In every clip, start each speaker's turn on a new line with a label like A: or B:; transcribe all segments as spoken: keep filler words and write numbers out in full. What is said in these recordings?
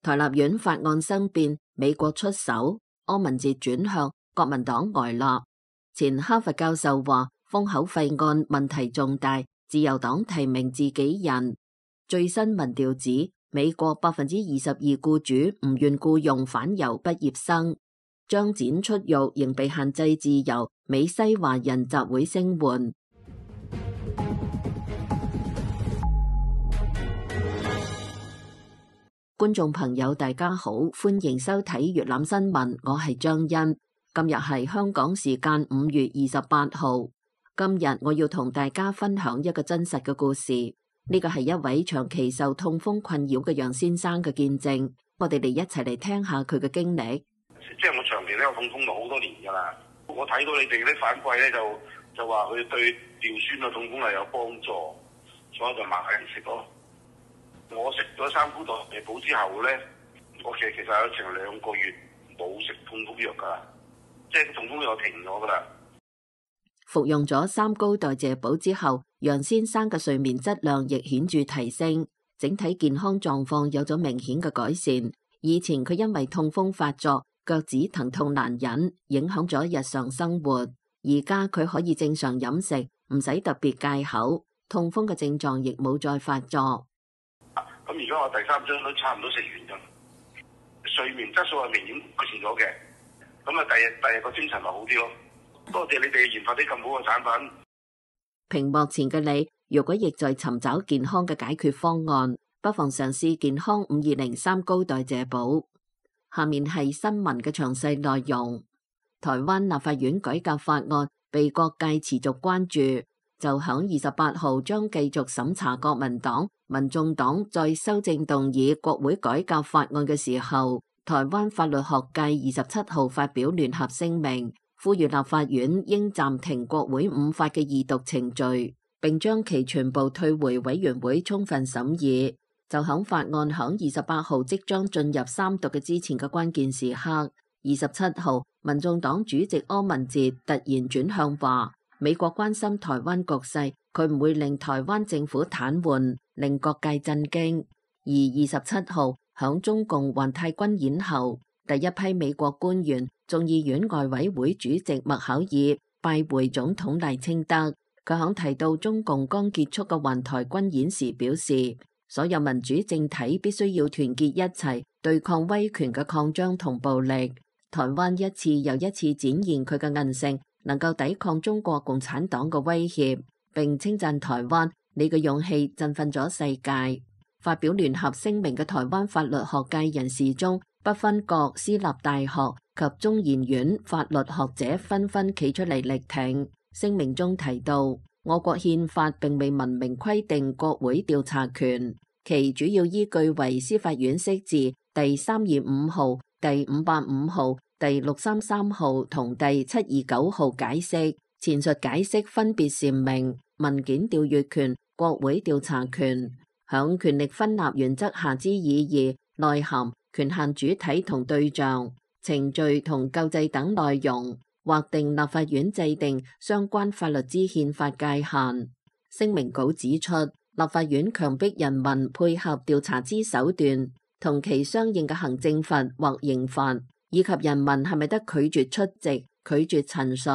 A: 台立院法案生變，美國出手，柯文哲轉向，國民黨呆立。前哈佛教授話，封口費案問題重大，自由黨提名自己人。最新民調指，美國百分之二十二僱主唔願僱用返猶畢業生。張展出獄仍被限制自由，美西華人集會聲援。觀眾朋友大家好，歡迎收睇粵覽新聞，我係張欣。今日係香港時間五月二十八號。今日我要同大家分享一個真實嘅故事，呢個係一位長期受痛風困擾嘅楊先生嘅見證。我哋嚟一齊嚟聽下佢嘅經歷。
B: 即係我長期都有痛風咗好多年噶啦，我睇到你哋啲反饋咧，就就話佢對尿酸嘅痛風係有幫助，所以就買嚟食咯。我食咗三菇代謝補之後咧，我其實其實有成兩個月冇食痛風藥噶啦，即係痛風藥停咗噶啦。
A: 服用咗三高代謝補之後，楊先生嘅睡眠質量亦顯著提升，整體健康狀況有咗明顯嘅改善。以前佢因為痛風發作，腳趾疼痛難忍，影響咗日常生活。而家佢可以正常飲食，唔使特別戒口，痛風嘅症狀亦冇再發作。
B: 咁而家我第三張都差唔多食完咗，睡眠質素係明顯改善咗嘅。咁啊，第日第日個精神咪好啲咯。多謝你哋研發啲咁好嘅產品。
A: 屏幕前嘅你，如果亦在尋找健康嘅解決方案，不妨嘗試健康五二零三高代謝補。下面係新聞嘅詳細內容。台灣立法院改革法案被各界持續關注，就響二十八號將繼續審查國民黨、民眾黨在修正動議國會改革法案嘅時候，台灣法律學界二十七號發表聯合聲明，呼籲立法院應暫停國會五法嘅二讀程序，並將其全部退回委員會充分審議。就響法案響二十八號即將進入三讀嘅之前嘅關鍵時刻，二十七號民眾黨主席柯文哲突然轉向話，美國關心台灣局勢，佢唔會令台灣政府癱瘓，令各界震驚。而二十七號響中共環太軍演後，第一批美國官員眾議院外委會主席麥考爾拜會總統賴清德，佢響提到中共剛結束嘅環台軍演時表示，所有民主政體必須要團結一齊對抗威權嘅擴張同暴力。台灣一次又一次展現佢嘅韌性，能夠抵抗中國共產黨嘅威脅，並稱讚台灣，你嘅勇氣振奮咗世界。發表聯合聲明嘅台灣法律學界人士中，不分各私立大學及中研院法律學者紛紛企出嚟力挺。聲明中提到，我國憲法並未文明規定國會調查權，其主要依據為司法院釋字第三二五號、第五八五號、第六三三號同第七二九號解釋。前述解釋分別闡明文件調閱權、國會調查權、響權力分立原則下之意義、內涵、權限主體同對象、程序同救濟等內容，劃定立法院制定相關法律之憲法界限。聲明稿指出，立法院強迫人民配合調查之手段，同其相應嘅行政罰或刑罰，以及人民係咪得拒絕出席、拒絕陳述、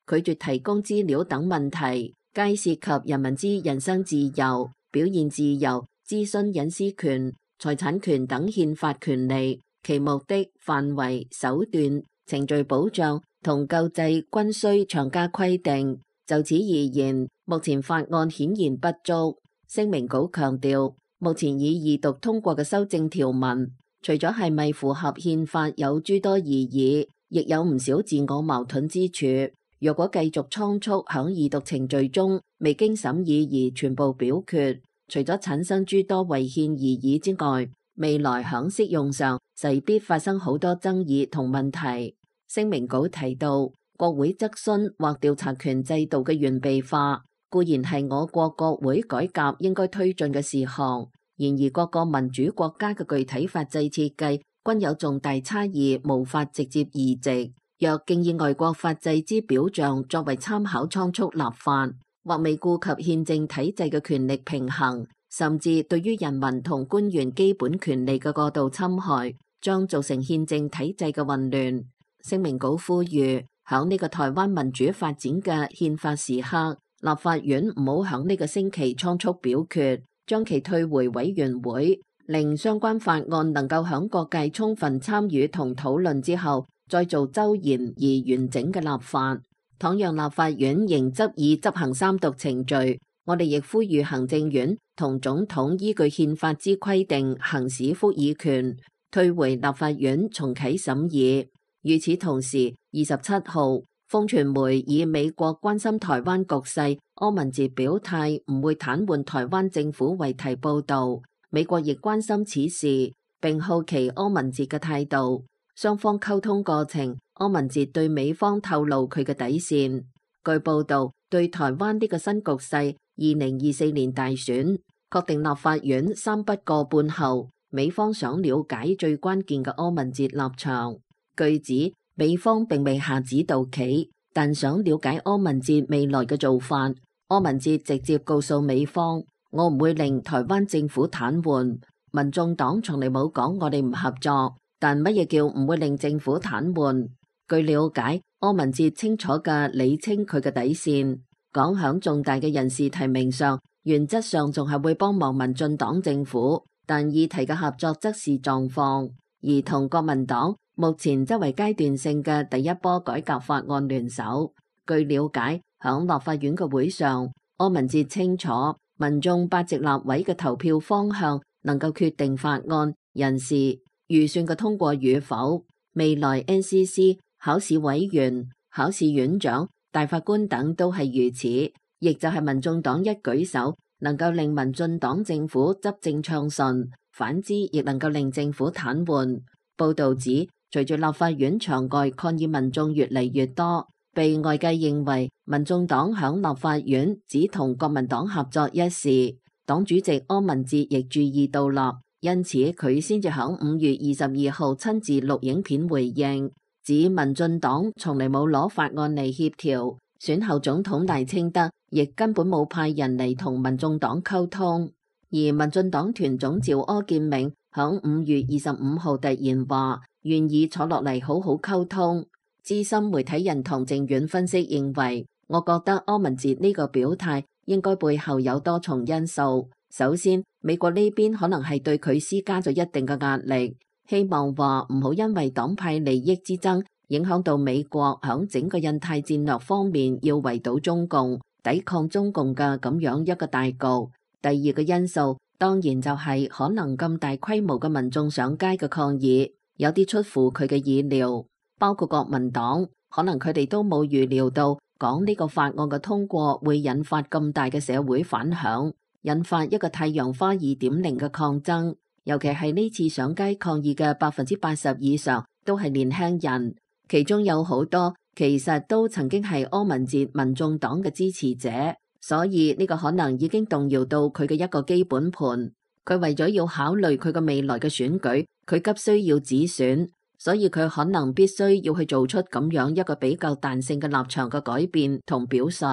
A: 拒絕提供資料等問題，皆涉及人民之人身自由、表現自由、諮詢隱私權、財產權等憲法權利，其目的、範圍、手段、程序保障同救濟均須詳加規定。就此而言，目前法案顯然不足。聲明稿強調，目前已二讀通過嘅修正條文，除咗係咪符合憲法有諸多疑義，亦有唔少自我矛盾之處。若果繼續倉促響二讀程序中未經審議而全部表決，除咗產生諸多違憲疑義之外，未來響適用上勢必發生好多爭議同問題。聲明稿提到，國會質詢或調查權制度嘅完備化固然係我國國會改革應該推進嘅事項，然而各個民主國家嘅具體法制設計均有重大差異，無法直接移植。若竟以外國法制之表象作為參考倉促立法，或未顧及憲政體制嘅權力平衡，甚至對於人民同官員基本權利嘅過度侵害，將造成憲政體制嘅混亂。聲明稿呼籲，響呢個台灣民主發展嘅憲法時刻，立法院唔好響呢個星期倉促表決，將其退回委員會，令相關法案能夠響各界充分參與同討論之後，再做周延而完整嘅立法。倘讓立法院仍執意執行三讀程序，我哋亦呼籲行政院同總統依據憲法之規定行使復議權，退回立法院重啟審議。與此同時，二十七號，風傳媒以美國關心台灣局勢，柯文哲表態唔會癱瘓台灣政府為題報導。美國亦關心此事，並好奇柯文哲嘅態度。雙方溝通過程，柯文哲對美方透露佢嘅底線。據報導，對台灣呢個新局勢，二零二四年大選確定立法院三不過半後，美方想了解最關鍵嘅柯文哲立場。據指，美方並未下指導棋，但想了解柯文哲未來嘅做法。柯文哲直接告訴美方，我唔會令台灣政府癱瘓。民眾黨從嚟冇講我哋唔合作，但乜嘢叫唔會令政府癱瘓？據了解，柯文哲清楚嘅理清佢嘅底線，講響重大嘅人事提名上，原則上仲係會幫忙民進黨政府，但議題嘅合作則是狀況。而同國民黨目前則為階段性嘅第一波改革法案聯手。據了解，響立法院嘅會上，柯文哲清楚民眾八席立委嘅投票方向能夠決定法案、人事、預算嘅通過與否。未來 N C C、考試委員、考試院長、大法官等都係如此，亦就係民眾黨一舉手能夠令民進黨政府執政暢順，反之亦能夠令政府癱瘓。報導指，隨住立法院場外抗議民眾越嚟越多，被外界認為民眾黨響立法院只同國民黨合作一事，黨主席柯文哲亦注意到啦，因此佢先至響五月二十二號親自錄影片回應，指民進黨從嚟冇攞法案嚟協調，選後總統賴清德亦根本冇派人嚟同民眾黨溝通。而民進黨團總召柯建銘響五月二十五號突然話願意坐落嚟好好溝通。資深媒體人唐靖遠分析認為，我覺得柯文哲呢個表態應該背後有多重因素。首先，美國呢邊可能係對佢施加咗一定嘅壓力，希望話唔好因為黨派利益之爭影響到美國響整個印太戰略方面要圍堵中共、抵抗中共嘅咁樣一個大局。第二個因素當然就係可能咁大規模嘅民眾上街嘅抗議，有啲出乎佢嘅意料，包括國民黨，可能佢哋都冇預料到講呢個法案嘅通過會引發咁大嘅社會反響，引發一個太陽花二點零嘅抗爭。尤其係呢次上街抗議嘅百分之八十以上都係年輕人，其中有好多其實都曾經係柯文哲民眾黨嘅支持者。所以呢個可能已經動搖到佢嘅一個基本盤，佢為咗要考慮佢嘅未來嘅選舉，佢急需要止選，所以佢可能必須要去做出咁樣一個比較彈性嘅立場嘅改變同表述。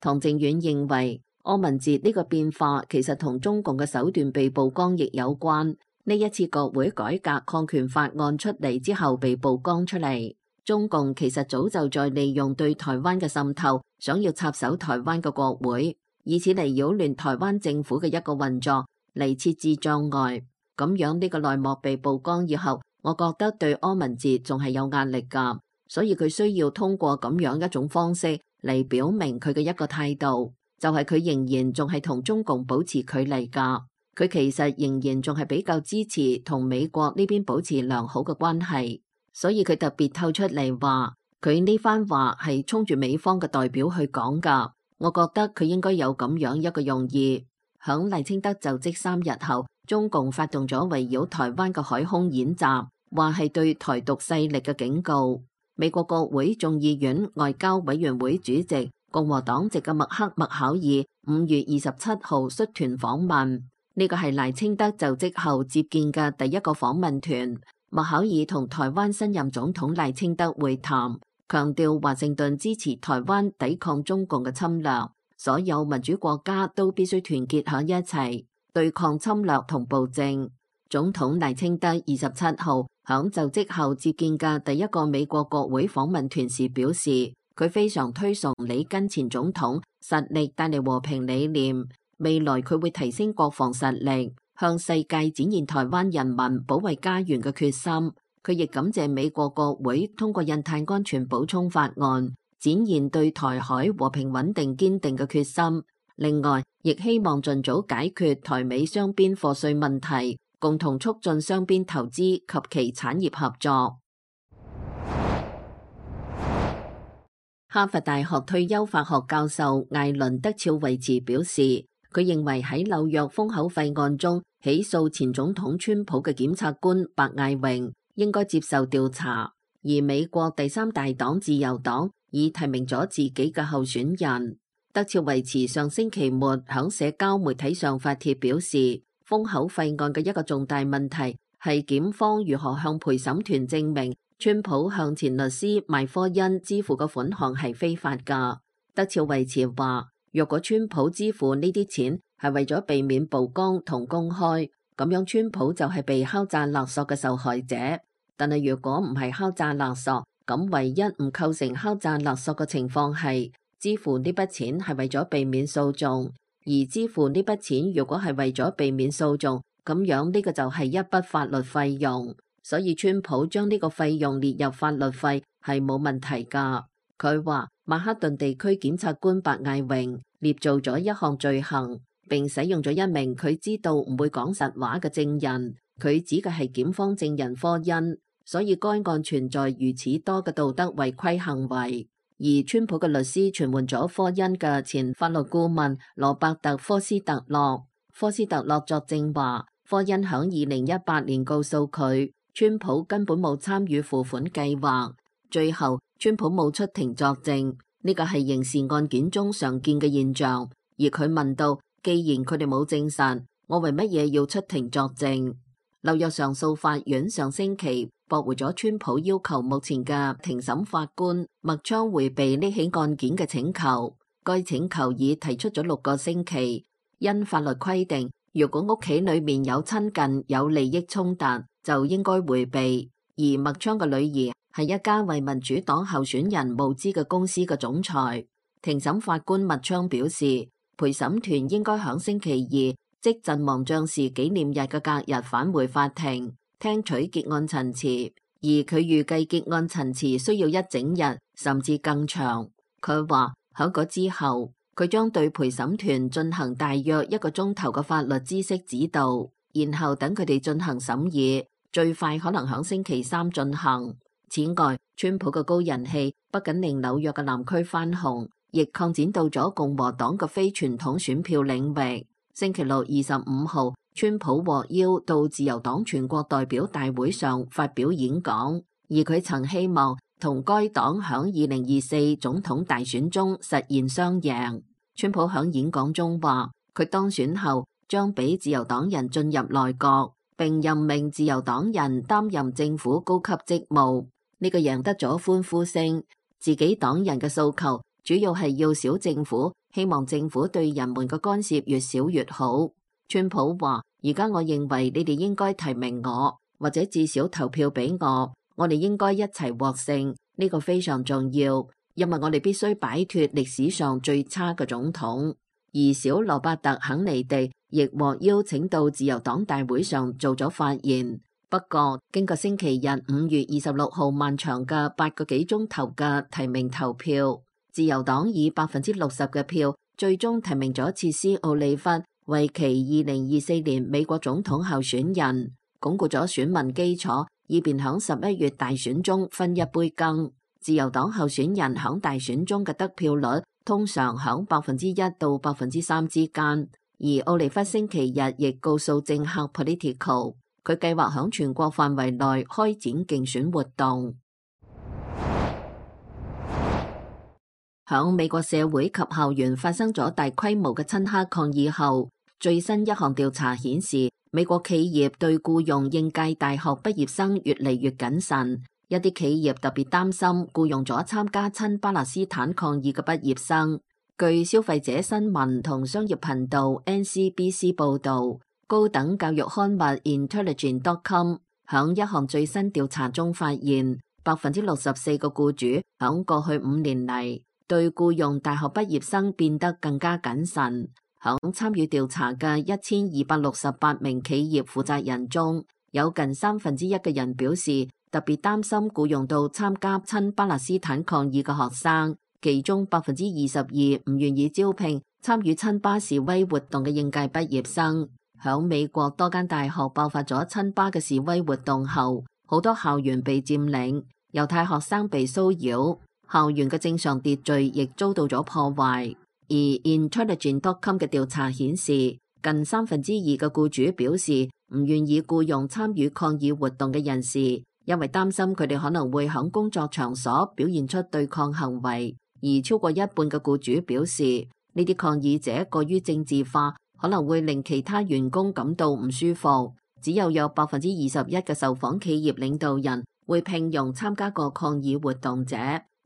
A: 唐靖遠認為，柯文哲呢個變化其實同中共嘅手段被曝光亦有關。呢一次國會改革抗權法案出嚟之後被曝光出嚟，中共其實早就在利用對台灣嘅滲透，想要插手台灣嘅國會，以此嚟擾亂台灣政府嘅一個運作，嚟設置障礙。咁樣呢個內幕被曝光以後，我覺得對柯文哲仲係有壓力㗎，所以佢需要通過咁樣一種方式嚟表明佢嘅一個態度，就係佢仍然仲係同中共保持距離㗎。佢其實仍然仲係比較支持同美國呢邊保持良好嘅關係。所以佢特別透出嚟話，佢呢番話係衝住美方嘅代表去講噶。我覺得佢應該有咁樣一個用意。響賴清德就職三日後，中共發動咗圍繞台灣嘅海空演習，話係對台獨勢力嘅警告。美國國會眾議院外交委員會主席共和黨籍嘅麥克麥考爾五月二十七號率團訪問，呢個係賴清德就職後接見嘅第一個訪問團。麥考爾同台灣新任總統賴清德會談，強調華盛頓支持台灣抵抗中共嘅侵略，所有民主國家都必須團結喺一齊。對抗侵略同暴政。總統賴清德二十七號響就職後接見嘅第一個美國國會訪問團時表示，佢非常推崇里根前總統實力帶嚟和平理念，未來佢會提升國防實力，向世界展現台灣人民保衛家園嘅決心。佢亦感謝美國國會通過印太安全補充法案，展現對台海和平穩定堅定嘅決心。另外，亦希望盡早解決台美雙邊課稅問題，共同促進雙邊投資及其產業合作。哈佛大學退休法學教授艾倫德肖維茨表示，佢認為喺紐約封口費案中起訴前總統川普嘅檢察官白艾榮應該接受調查，而美國第三大黨自由黨已提名咗自己嘅候選人。德肖維茨上星期末響社交媒體上發帖表示，封口費案嘅一個重大問題係檢方如何向陪審團證明川普向前律師邁科恩支付嘅款項係非法㗎。德肖維茨話，若果川普支付呢啲錢係為咗避免曝光同公開，咁樣川普就係被敲詐勒索嘅受害者。但係如果唔係敲詐勒索，咁唯一唔構成敲詐勒索嘅情況係支付呢筆錢係為咗避免訴訟，而支付呢筆錢如果係為咗避免訴訟，咁樣呢個就係一筆法律費用，所以川普將呢個費用列入法律費係冇問題㗎。佢話曼哈頓地區檢察官白艾榮捏造咗一項罪行，並使用咗一名佢知道唔會講實話嘅證人，佢指嘅係檢方證人科恩，所以該案存在如此多嘅道德違規行為。而川普嘅律師傳喚咗科恩嘅前法律顧問羅伯特科斯特洛，科斯特洛作證話，科恩響二零一八年告訴佢，川普根本冇參與付款計劃。最後，川普冇出庭作證，呢個係刑事案件中常見嘅現象。而佢問到，既然佢哋冇證實，我為乜嘢要出庭作證？紐約上訴法院上星期駁回咗川普要求目前嘅庭審法官麥昌回避呢起案件嘅請求。該請求已提出咗六個星期，因法律規定，如果屋企裏面有親近有利益衝突，就應該回避。而麥昌嘅女兒係一家為民主黨候選人募資嘅公司嘅總裁。庭審法官麥昌表示，陪審團應該響星期二，即陣亡將士紀念日嘅隔日返回法庭，聽取結案陳詞，而佢預計結案陳詞需要一整日，甚至更長。佢話響嗰之後，佢將對陪審團進行大約一個鐘頭嘅法律知識指導，然後等佢哋進行審議，最快可能響星期三進行。此外，川普嘅高人氣不僅令紐約嘅南區翻紅，亦擴展到咗共和黨嘅非傳統選票領域。星期六二十五號，川普獲邀到自由黨全國代表大會上發表演講，而佢曾希望同該黨響二零二四總統大選中實現雙贏。川普響演講中話，佢當選後將俾自由黨人進入內閣，並任命自由黨人擔任政府高級職務。呢個贏得咗歡呼聲。自己黨人嘅訴求主要係要小政府，希望政府對人們嘅干涉越少越好。川普話，而家我認為你哋應該提名我，或者至少投票俾我，我哋應該一齊獲勝，呢個非常重要，因為我哋必須擺脫歷史上最差嘅總統。而小羅伯特肯尼迪亦獲邀請到自由黨大會上做咗發言。不過，經過星期日五月二十六號漫長嘅八個幾鐘頭嘅提名投票，自由黨以百分之六十嘅票，最終提名咗切斯奧利弗為其二零二四年美國總統候選人，鞏固咗選民基礎，以便響十一月大選中分一杯羹。自由黨候選人響大選中嘅得票率通常響百分之一到百分之三之間，而奧利弗星期日亦告訴政客 Politico，佢計劃響全國範圍內開展競選活動。響美國社會及校園發生咗大規模嘅親黑抗議後，最新一項調查顯示，美國企業對僱用應屆大學畢業生越嚟越謹慎。一啲企業特別擔心僱用咗參加親巴勒斯坦抗議嘅畢業生。據消費者新聞同商業頻道 N C B C 報導，高等教育刊物 Intelligent dot com 響一項最新調查中發現，百分之六十四個僱主響過去五年嚟對僱用大學畢業生變得更加謹慎。響參與調查嘅一千二百六十八名企業負責人中，有近三分之一嘅人表示特別擔心僱用到參加親巴勒斯坦抗議嘅學生。其中百分之二十二唔願意招聘參與親巴示威活動嘅應屆畢業生。響美國多間大學爆發咗親巴嘅示威活動後，好多校園被佔領，猶太學生被騷擾，校園嘅正常秩序亦遭到咗破壞。而 Intelligent dot com 嘅調查顯示，近三分之二嘅僱主表示唔願意僱用參與抗議活動嘅人士，因為擔心佢哋可能會響工作場所表現出對抗行為。而超過一半嘅僱主表示，呢啲抗議者過於政治化，可能會令其他員工感到唔舒服。只有有百分之二十一嘅受訪企業領導人會聘用參加過抗議活動者，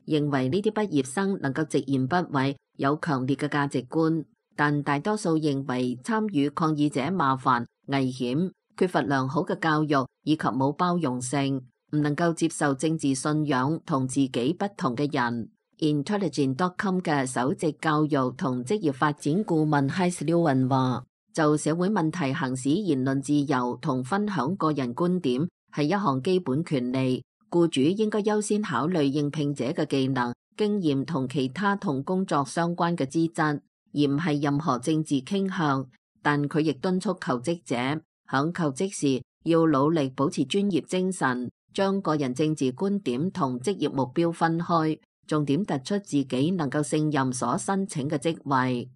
A: 認為呢啲畢業生能夠直言不諱，有強烈嘅價值觀。但大多數認為參與抗議者麻煩、危險、缺乏良好嘅教育以及冇包容性，唔能夠接受政治信仰同自己不同嘅人。Intelligent dot com 嘅首席教育同職業發展顧問 Heath Lewin 話，就社會問題行使言論自由同分享個人觀點係一項基本權利，僱主應該優先考慮應聘者嘅技能、經驗同其他同工作相關嘅資質，而唔係任何政治傾向。但佢亦敦促求職者響求職時要努力保持專業精神，將個人政治觀點同職業目標分開，重點突出自己能夠勝任所申請嘅職位。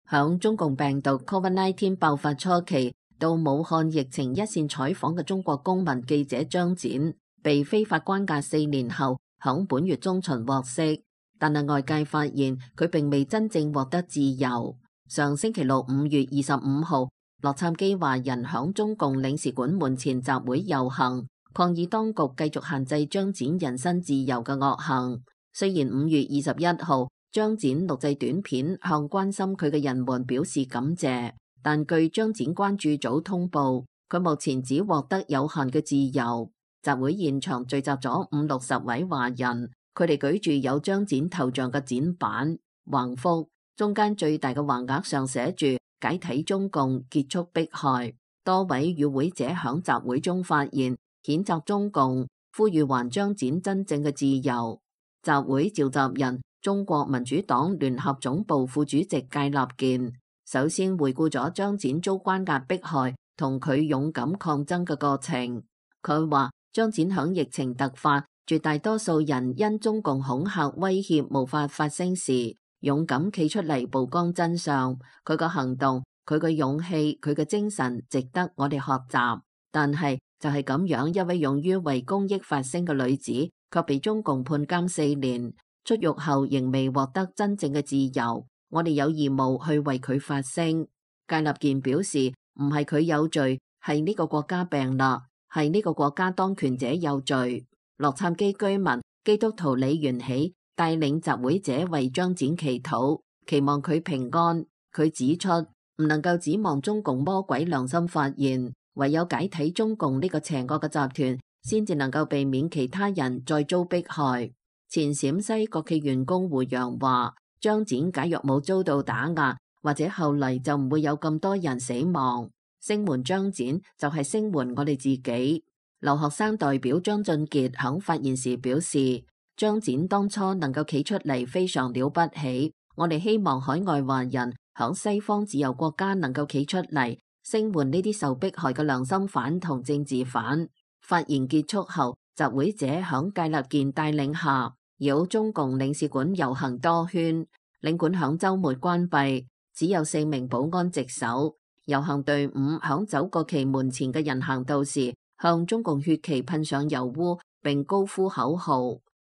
A: 響中共病毒 Covid 十九 爆發初期到武漢疫情一線採訪嘅中國公民記者張展，被非法關押四年後，響本月中旬獲釋，但係外界發現佢並未真正獲得自由。上星期六五月二十五號，洛杉磯華人響中共領事館門前集會遊行，抗議當局繼續限制張展人身自由嘅惡行。雖然五月二十一號張展錄製短片向關心佢嘅人們表示感謝，但據張展關注組通報，佢目前只獲得有限嘅自由。集會現場聚集咗五六十位華人，佢哋舉住有張展頭像嘅展板、橫幅，中間最大嘅橫額上寫住解體中共，結束迫害。多位與會者響集會中發言，譴責中共，呼籲還張展真正嘅自由。集會召集人中國民主黨聯合總部副主席芥立健首先回顧咗張展遭關押迫害同佢勇敢抗爭嘅過程。佢話張展響疫情突發，絕大多數人因中共恐嚇威脅無法發聲時，勇敢企出嚟曝光真相。佢個行動，佢嘅勇氣，佢嘅精神值得我哋學習。但係就係咁樣，一位勇於為公益發聲嘅女子，卻被中共判監四年，出獄後仍未獲得真正嘅自由。我哋有義務去為佢發聲。芥立健表示，唔係佢有罪，係呢個國家病啦，係呢個國家當權者有罪。洛杉磯居民基督徒李元喜帶領集會者為張展祈禱，期望佢平安。佢指出，唔能夠指望中共魔鬼良心發現，唯有解體中共呢個邪惡嘅集團，先至能夠避免其他人再遭迫害。前陝西國企員工胡陽話，張展假若冇遭到打壓，或者後嚟就唔會有咁多人死亡。聲援張展就係聲援我哋自己。留學生代表張俊傑響發言時表示，張展當初能夠企出嚟非常了不起，我哋希望海外華人響西方自由國家能夠企出嚟聲援呢啲受迫害嘅良心犯同政治犯。發言結束後，集會者響芥立健帶領下繞中共領事館遊行多圈，領館響週末關閉，只有四名保安值守。遊行隊伍響走過其門前嘅人行道時，向中共血旗噴上油污，並高呼口號。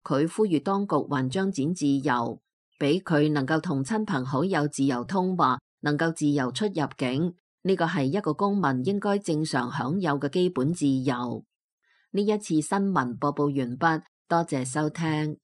A: 佢呼籲當局還張展自由，俾佢能夠同親朋好友自由通話，能夠自由出入境。呢個係一個公民應該正常享有嘅基本自由。呢一次新聞播報完畢，多謝收聽。